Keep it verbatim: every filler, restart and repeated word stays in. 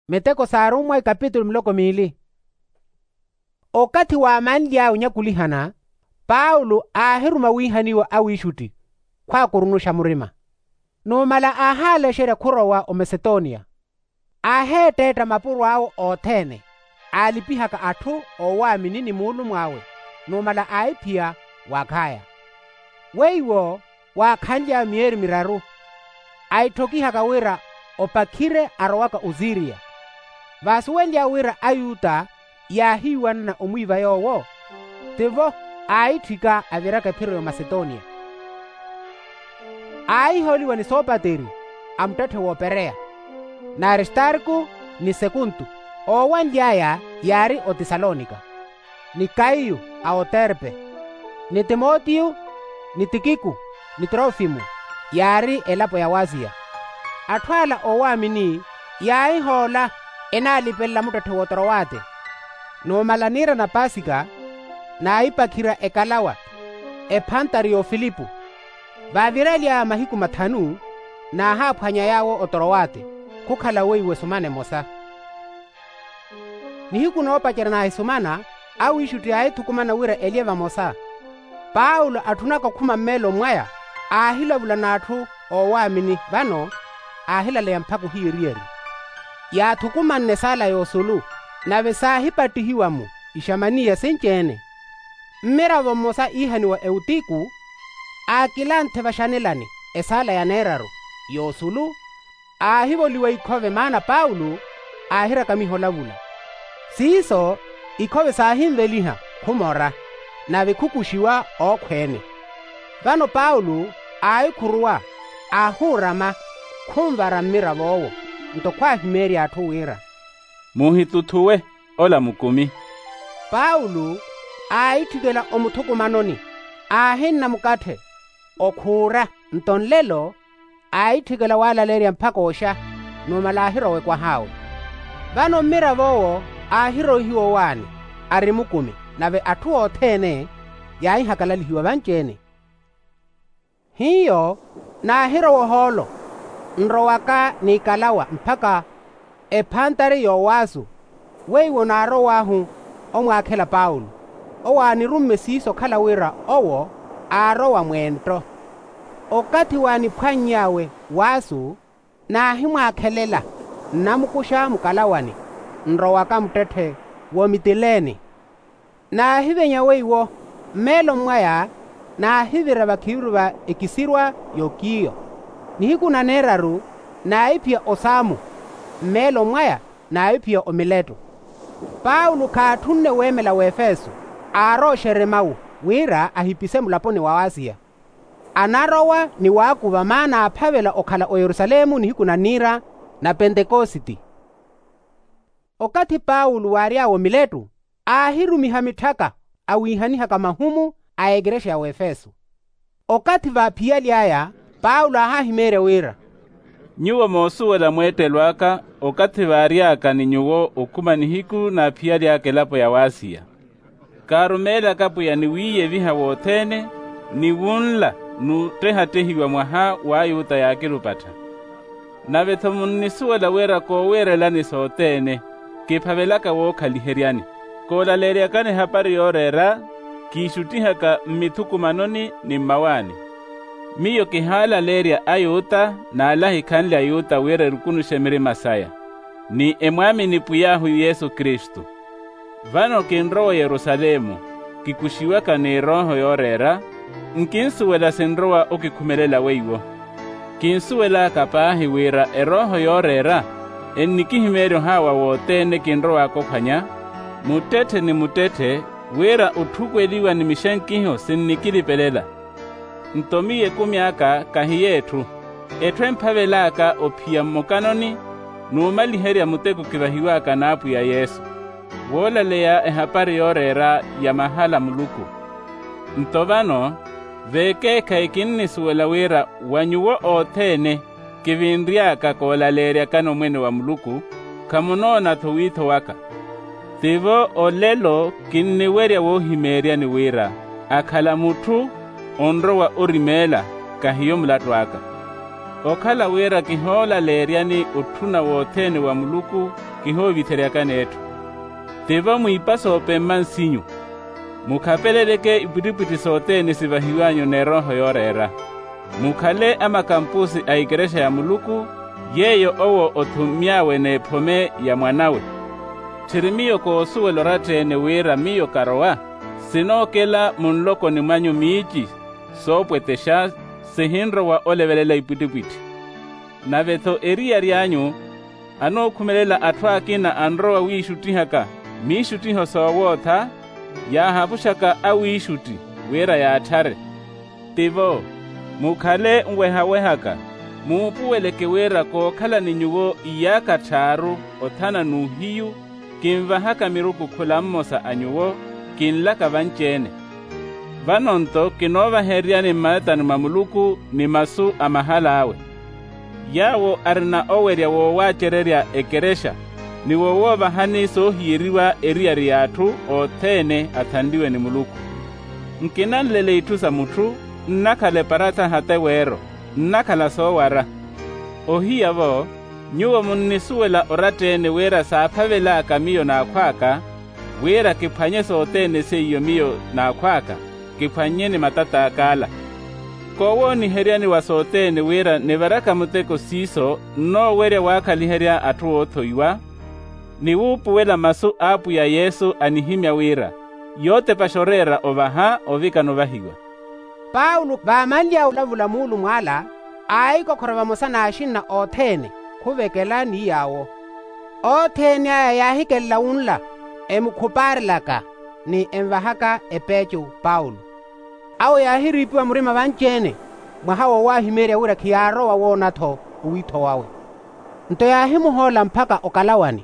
Miteko s'arummwa ikapitulu miloko miili. Okathi waamanly'awe onyakulihana, paulo aahiruma wiihaniwa awiixutti khwaakurunuxa murima. Numala aahaalexerya khurowa omasetonia. Aaheetteetta mapuro awe othene, aalipihaka atthu oowaamini ni muulumw'awe. Numala aahiphiya w'akhaya. Weiwo waakhanly'awe miyeeri miraru, aitthokihaka wira opakhire arowaka osiriya. Vaasuwenly'awe wira ayuta yaahiiwanana omwiiva yoowo, tivo aaitthika aviraka ephiro y'omasetonia. Aahihooliwa ni soopateri a muttetthe w'opereya, n'aristarku ni sekuntu, oowanly'aya yaari otesalonika, ni kayu a oterpe, ni timotiyo, ni tikiku, ni trofimu, yaari elapo ya wasiya. Atthu ala oowaamini yaahihoola, enaalipelela muttetthe w'otrowate. Numala niira na pasika, naahipakhirya ekalawa, ephantari y'ofilipu. Vaaviryaly'aya mahiku mathanu, naahaaphwanya yaawo otrowate, khukhala weiwo esumana emosa. Nihiku noopacerya naahisumana, awiixutti aahithukumana wira elye vamosa. Paulo atthunaka okhuma mmeeloni mwaya, aahilavula n'atthu oowaamini vano, aahilaleya mpakha ohiyeriyeri. Yaathukumanne esaala y'osulu, nave saahipattihiwa-mo ixamaniya sinci-ene. Mmiravo mmosa iihaniwa eutiku, aakilanthe vaxanelani esaala ya neeraru y'osulu, aahivoliwa ikhove maana paulo aahirakamiha olavula. Siiso ikhove saahinveliha khumora, nave khukuxiwa ookhweene. Vano paulo aahikhuruwa, aahuurama, khunvara mmirav'owo. Nto khwaahimeerya atthu wira, "Muhituthuwe, ola mukumi." Paulo aahitthikela omuthukumanoni, aahinna mukatthe, okhuura. Nto nlelo aahitthikela waalaleerya mpakha oxa, numala aahirowa ekwah'awe. Vano mmirav'owo aahiroihiwa owaani, ari mukumi, nave atthu othene yaahihakalalihiwa vanci-ene. Hiyo naahirowa ohoolo, nrowaka n'ikalawa mpakha ephantari y'owaasu. Weiwo naarow'ahu omwaakhela paulo, owo aanirumme siiso okhala wira owo aarowa mweento. Okathi waaniphwanny'awe waasu, naahimwaakhelela, nnamukuxa mukalawani, nrowaka muttetthe w'omitileene. Naahivenya weiwo, mmeeloni mwaya naahivira vakhiviru va ekisirwa y'okiyo. Nihiku na neeraru naahiphiya osaamu, mmeeloni mwaya naahiphiya omiletto. Paulo khaatthunne weemela w'efeso, aarooxerye mawu wira ahipise mulaponi wa wasiya. Anarowa ni waakuva maana aaphavela okhala oyerusalemu nihiku na niira na pentekositi. Okathi paulo waary'awe omiletto, aahirumiha mitthaka awiihanihaka mahumu a ekerexa ya wefeso. Okathi vaaphiyaly'aya, paulo aahahimeerya wira, "Nyuwo moosuwela mweettelo aka, okathi vaary'aka ni nyuwo okhuma nihiku naaphiyaly'aka elapo ya wasiya. Kaarumeelaka pwiya ni wiiyeviha wothene, ni wunla n'uttehattehiwa mwaha w'ayuta yaakirupattha. Nave-tho munnisuwela wira koowiirelani sothene, kiphavelaka wookhaliheryani. Koolaleeryakani ehapari yooreera, kiixuttihaka mmithukumanoni ni mmawaani. Miyo kihaalaleerya ayuta n'ale ahikhanle ayuta wira erukunuxe mirima saya, ni emwaamini pwiy'ahu yesu kristu. Vano kinrowa oyerusalemu, kikuxiwaka n'erooho yooreera, nkinsuwela sinrowa okikhumelela weiwo. Kinsuwelaka paahi wira erooho yooreera ennikihimeerya ohaawa wothene kinrowaka ophwanya, muttetthe ni muttetthe, wira otthukweliwa ni mixenkiho sinnikilipelela. Nto miyo ekumi aka kahiyo etthu, etthu emphavel'aka ophiya mmokanoni, n'umaliherya muteko kivahiw'aka n'apwiya yesu, woolaleya ehapari yooreera ya mahala a muluku. Nto vano, vekeekhayi kinnisuwela wira wa nyuwo othene kivinry'aka koolaleeryakani omwene wa muluku, khamunoona-tho wiitho waka. Tivo olelo kinniwerya woohimeeryani wira akhala mutthu onrowa orimeela, kahiyo mulattu aka. Okhala wira kihoolaleeryani otthuna wothene wa muluku, kihoovitheryakani etthu. Tivo mwiipa soopemma nsinyu. Mukhapeleleke ipwittipwitthi sothene sivahiw'anyu n'erooho yooreera. Mukhale amakampusi a ikerexa ya muluku, yeeyo owo othummy'awe n'ephome ya mwan'awe. Tthiri miyo koosuwela oratta-ene wira miyo karowa? Sinookela munlokoni mwanyu miici soopwetexa, sihinrowa olevelela ipwittipwitthi. Nave-tho eriyari anyu anookhumelela atthu akina anrowa wiixuttihaka miixuttiho soowootha, yaahapuxaka awiixutti wira yaatthare. Tivo, mukhale nwehawehaka, muupuweleke wira kookhala ni nyuwo iyaakha tthaaru othana n'uhiyu, kinvahaka miruku khula mmosa a nyuwo, kinlaka vanci-ene. Vano-nto kinoovahereryani mmalatani mwa muluku ni masu a mahal'awe. Yaawo arina owerya woowaacererya ekerexa, ni wowoovahani soohiyeriwa eriyari y'atthu othene athanliwe ni muluku. Nkinanlele itthu sa mutthu, nnakhala eparatha hata eweero, nnakhala soowara. Ohiya-vo, nyuwo munnisuwela oratta-ene wira saaphavel'aka miyo n'akhw'aka, wira kiphwanye sothene seiyo miyo n'akhw'aka, kiphwannye ni matat'ak'ala. Koowooniheryani wa sothene wira nivaraka muteko siiso nnoowerya waakhaliherya atthu oothoiwa, ni wuupuwela masu a apwiya yesu anihimya wira, yootepaxa oreera ovaha ovikana ovahiwa. Paulo vaamanly'awe olavula muulumo ala, aahikokhora vamosa n'axinna othene khuvekela ni yaawo. Othene aya yaahikelela wunla, emukhupaarelaka ni envahaka epeecu paulo. Awo yaahiriipiwa murima vanci-ene, mwaha woowahimeerya wira khiyaarowa woona-tho owiitho wawe. Nto yaahimuhoola mpakha okalawani.